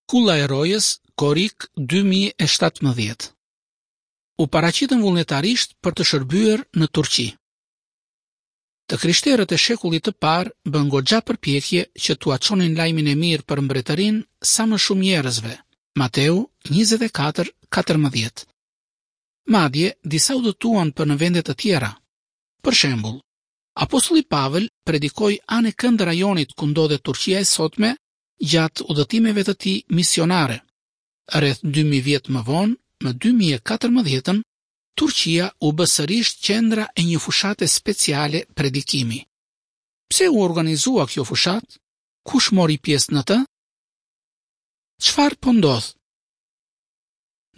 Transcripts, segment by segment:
Kulla e Rojës, korrik 2017. U paraqitën vullnetarisht për të shërbyer në Turqi. Të krishterët e shekullit të parë bënë goxha përpjekje që t'ua çonin lajmin e mirë për mbretërinë sa më shumë njerëzve. Mateu 24:14. Madje, disa udhëtuan për në vende të tjera. Për shembull, apostulli Pavël predikoi anë e kënd rajonit ku ndodhet Turqia e sotme gjatë udhëtimeve të tij misionare. Rreth 2000 vjet më vonë, më 2014-ën, Turqia u bë sërish qendra e një fushate speciale predikimi. Pse u organizua kjo fushatë? Kush mori pjesë në të? Çfarë po ndodh?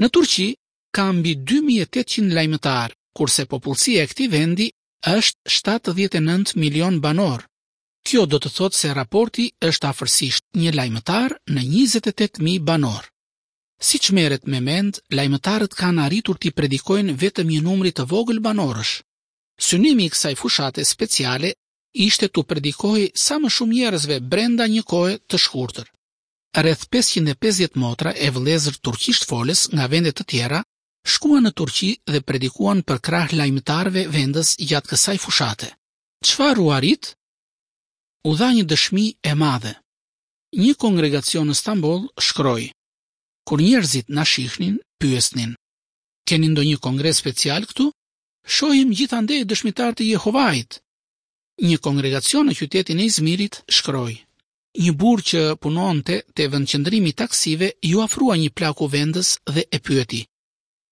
Në Turqi ka mbi 2800 lajmëtarë, kurse popullsia e këtij vendi është 79 milion banorë. Kjo do të thotë se raporti është afërsisht një lajmëtar në 28.000 banorë. Siç merret me mend, lajmëtarët kanë arritur t'i predikojnë vetëm një numri të vogël banorësh. Synimi i kësaj fushate speciale ishte t'u predikohej sa më shumë njerëzve brenda një kohe të shkurtër. Rreth 550 motra e vëllezër turqisht folës nga vende të tjera shkuan në Turqi dhe predikuan përkrah lajmëtarëve vendës gjatë kësaj fushate. Çfarë u arrit? U dha një dëshmi e madhe. Një kongregacion në Stamboll shkroi: Kur njerëzit na shihnin, pyesnin: Keni ndonjë kongres special këtu? Shohim gjithandej dëshmitarë të Jehovait. Një kongregacion në qytetin e Izmirit shkroi: Një burrë që punonte te vendqëndrimi i taksive iu afrua një plaku vendës dhe e pyeti: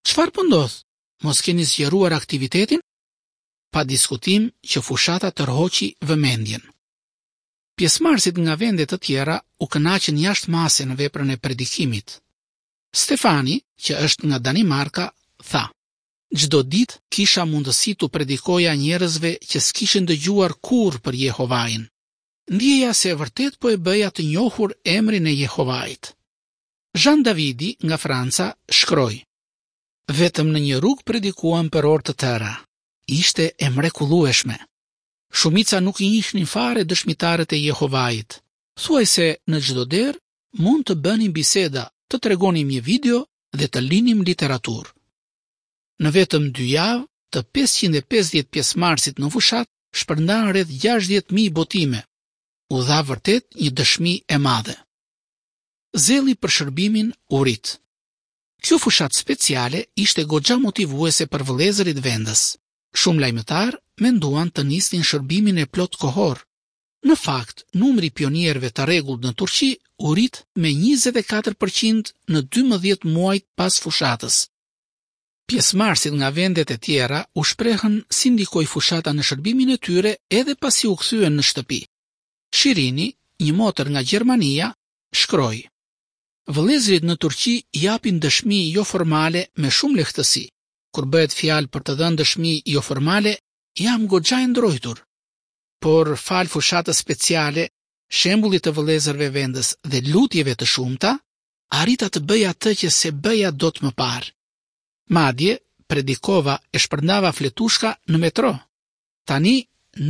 Çfarë po ndodh? Mos keni zgjeruar aktivitetin? Pa diskutim që fushata tërhoqi vëmendjen. Pjesëmarrësit nga vende të tjera u kënaqën jashtë mase në veprën e predikimit. Stefani, që është nga Danimarka, tha: Çdo ditë kisha mundësi t'u predikoja njerëzve që s'kishin dëgjuar kurrë për Jehovain. Ndjeja se vërtet po e bëja të njohur emrin e Jehovait. Jean Davidi nga Franca shkroi: Vetëm në një rrugë predikuam për orë të tëra. Ishte e mrekullueshme. Shumica nuk i njihnin fare dëshmitarët e Jehovait. Thuajse në çdo derë mund të bënim biseda, të tregonim një video dhe të linim literaturë. Në vetëm dy javë, të 550 pjesëmarrësit në fushatë shpërndanë rreth 60.000 botime. U dha vërtet një dëshmi e madhe. Zelli për shërbimin u rrit. Kjo fushatë speciale ishte goxha motivuese për vëllezërit vendës. Shumë lajmëtarë menduan të nisnin shërbimin e plot kohor. Në fakt, numri i pionierëve të rregullt në Turqi u rrit me 24% në 12 muajt pas fushatës. Pjesëmarrësit nga vendet e tjera u shprehën si ndikoi fushata në shërbimin e tyre edhe pasi u kthyen në shtëpi. Shirini, një motër nga Gjermania, shkroi: Vëllezërit në Turqi japin dëshmi joformale me shumë lehtësi. Kur bëhet fjalë për të dhënë dëshmi joformale, jam goxha e ndrojtur. Por falë fushatës speciale, shembullit të vëllezërve vendës dhe lutjeve të shumta, arrita të bëj atë që s'e bëja dot më parë. Madje, predikova e shpërndava fletushka në metro. Tani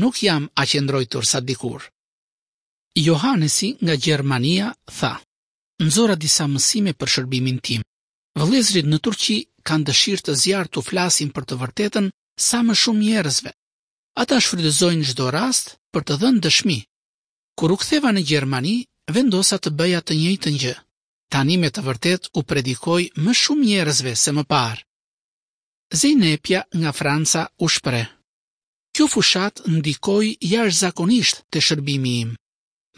nuk jam aq e ndrojtur sa dikur. Johanesi nga Gjermania tha: Nxora disa mësime për shërbimin tim. Vëllezërit në Turqi kanë dëshirë të zjarrtë t'u flasin për të vërtetën sa më shumë njerëzve. Ata shfrytëzojnë çdo rast për të dhënë dëshmi. Kur u ktheva në Gjermani, vendosa të bëja të njëjtën gjë. Tani me të vërtetë u predikoj më shumë njerëzve se më parë. Zeynepja nga Franca u shpreh: Kjo fushatë ndikoi jashtëzakonisht te shërbimi im.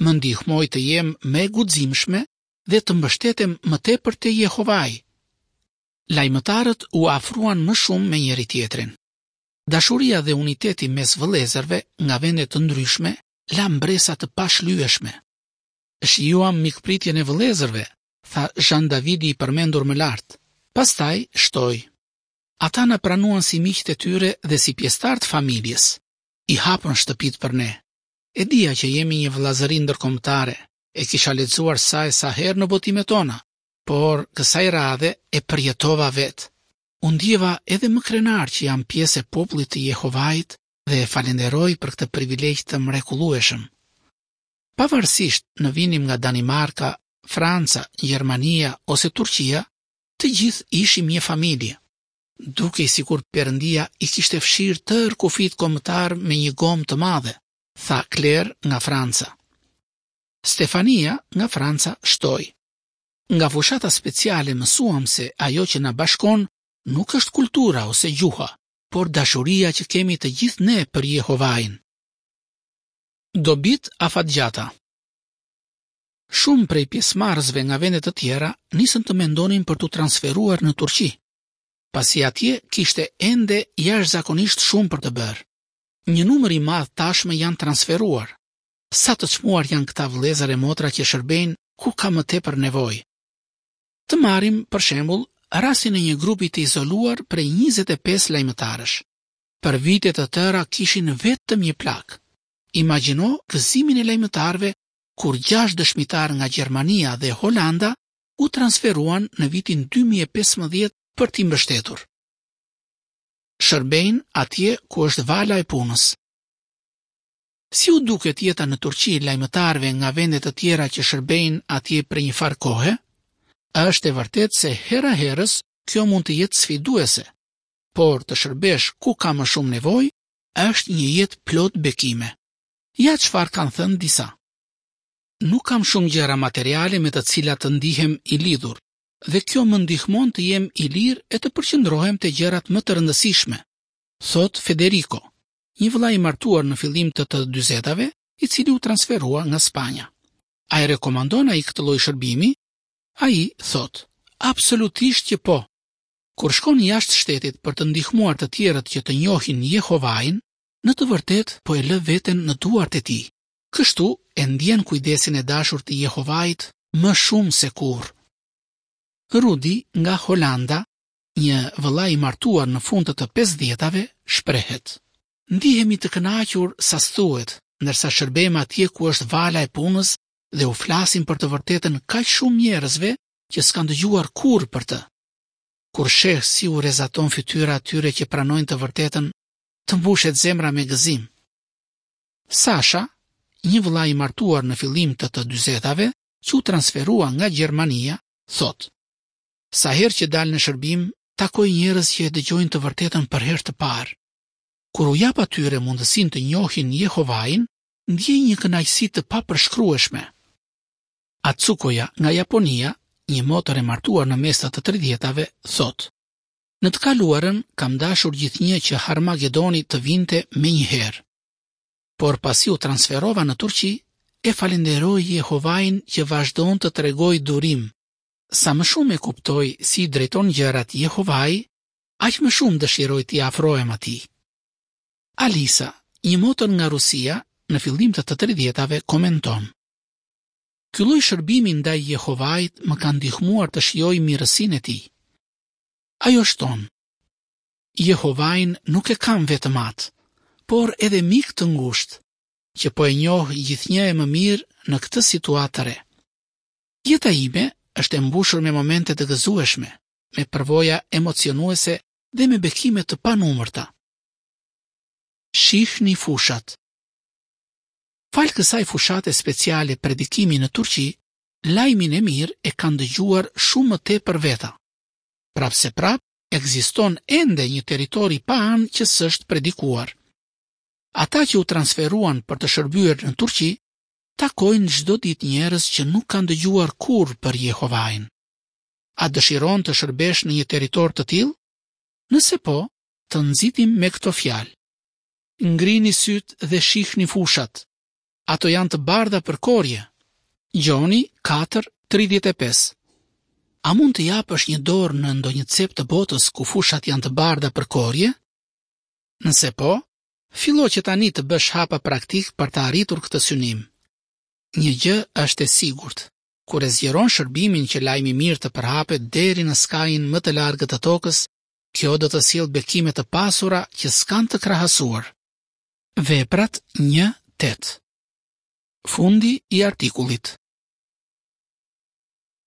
Më ndihmoi të jem më e guximshme dhe të mbështetem më tepër te Jehovai. Lajmëtarët u afruan më shumë me njëri-tjetrin. Dashuria dhe uniteti mes vëllezërve nga vende të ndryshme la mbresa të pashlyeshme. Shijuam mikpritjen e vëllezërve, tha Jean Davidi i përmendur më lart. Pastaj shtoi: Ata na pranuan si miqtë e tyre dhe si pjesëtarë të familjes. I hapën shtëpitë për ne. E dija që jemi një vëllazëri ndërkombëtare, e kisha lexuar sa e sa herë në botimet tona, por kësaj radhe e përjetova vetë. U ndjeva edhe më krenar që jam pjesë e popullit të Jehovait dhe e falenderoj për këtë privilegj të mrekullueshëm. Pavarësisht në vinim nga Danimarka, Franca, Gjermania ose Turqia, të gjithë ishim një familje. Dukej sikur Perëndia i kishte fshirë tërë kufijtë kombëtarë me një gomë të madhe, tha Claire nga Franca. Stefania nga Franca shtoi. Nga fushata speciale mësuam se ajo që na bashkon nuk është kultura ose gjuha, por dashuria që kemi të gjithë ne për Jehovain. Dobitë afatgjata Shumë prej pjesëmarrësve nga vende të tjera nisën të mendonin për t'u transferuar në Turqi, pasi atje kishte ende jashtëzakonisht shumë për të bërë. Një numër i madh tashmë janë transferuar. Sa të çmuar janë këta vëllezër e motra që shërbejnë ku ka më tepër nevojë. Të marrim, për shembull, rastin e një grupi të izoluar prej 25 lajmëtarësh. Për vite të tëra kishin vetëm një plakë. Imagjino gëzimin e lajmëtarëve kur gjashtë dëshmitarë nga Gjermania dhe Holanda u transferuan në vitin 2015 për t'i mbështetur. Shërbejnë atje ku është vala e punës. Si u duket jeta në Turqi lajmëtarëve nga vende të tjera që shërbejnë atje prej një farë kohe? Është e vërtetë se hera-herës kjo mund të jetë sfiduese, por të shërbesh ku ka më shumë nevojë është një jetë plot bekime. Ja çfarë kanë thënë disa. Nuk kam shumë gjëra materiale me të cilat të ndihem i lidhur, dhe kjo më ndihmon të jem i lirë e të përqendrohem te gjërat më të rëndësishme, thotë Federico, një vëlla i martuar në fillim të të dyzetave, i cili u transferua nga Spanja. A e rekomandon ai këtë lloj shërbimi? Ai thotë, absolutisht që po. Kur shkon jashtë shtetit për të ndihmuar të tjerët që të njohin Jehovain, në të vërtetë po e lë veten në duart e tij. Kështu e ndjen kujdesin e dashur të Jehovait më shumë se kurrë. Rudi nga Holanda, një vëlla i martuar në fund të të pesëdhjetave, shprehet: Ndihemi të kënaqur sa s'thuhet, ndërsa shërbejmë atje ku është vala e punës dhe u flasim për të vërtetën kaq shumë njerëzve që s'kanë dëgjuar kurrë për të. Kur sheh si u rrezaton fytyra atyre që pranojnë të vërtetën, të mbushet zemra me gëzim. Sasha, një vëlla i martuar në fillim të të dyzetave, që u transferua nga Gjermania, thotë: Sa herë që dal në shërbim, takoj njerëz që e dëgjojnë të vërtetën për herë të parë. Kur u jap atyre mundësinë të njohin Jehovain, ndjej një kënaqësi të papërshkrueshme. Atsukoja nga Japonia, një motër e martuar në mes të të tridhjetave, thotë: Në të kaluarën kam dashur gjithnjë që Harmagedoni të vinte menjëherë. Por pasi u transferova në Turqi, e falënderoj Jehovain që vazhdon të tregojë durim. Sa më shumë e kuptoj si i drejton gjërat Jehovai, aq më shumë dëshiroj t'i afrohem atij. Alisa, një motër nga Rusia, në fillim të të tridhjetave komenton: Ky lloj shërbimi ndaj Jehovait më ka ndihmuar të shijoj mirësinë e tij. Ajo shton: Jehovain nuk e kam vetëm atë, por edhe mik të ngushtë, që po e njoh gjithnjë e më mirë në këtë situatë të re. Jeta ime është e mbushur me momente të gëzueshme, me përvoja emocionuese dhe me bekime të panumërta. Shihni fushat. Falë kësaj fushate speciale predikimi në Turqi, lajmin e mirë e kanë dëgjuar shumë më tepër veta. Prapëseprapë, ekziston ende një territor i paanë që s'është predikuar. Ata që u transferuan për të shërbyer në Turqi, takojnë çdo ditë njerëz që nuk kanë dëgjuar kurrë për Jehovain. A dëshiron të shërbesh në një territor të tillë? Nëse po, të nxitim me këto fjalë. Ngrini sytë dhe shihni fushat. Ato janë të bardha për korrje. Gjoni 4, 35 A mund të japësh një dorë në ndonjë cep të botës ku fushat janë të bardha për korrje? Nëse po, fillo që tani të bësh hapa praktikë për të arritur këtë synim. Një gjë është e sigurt, kur e zgjeron shërbimin që lajmi i mirë të përhapet deri në skajin më të largët të tokës, kjo do të sjellë bekime të pasura që s'kanë të krahasuar. Veprat 1 8 Fundi i artikullit.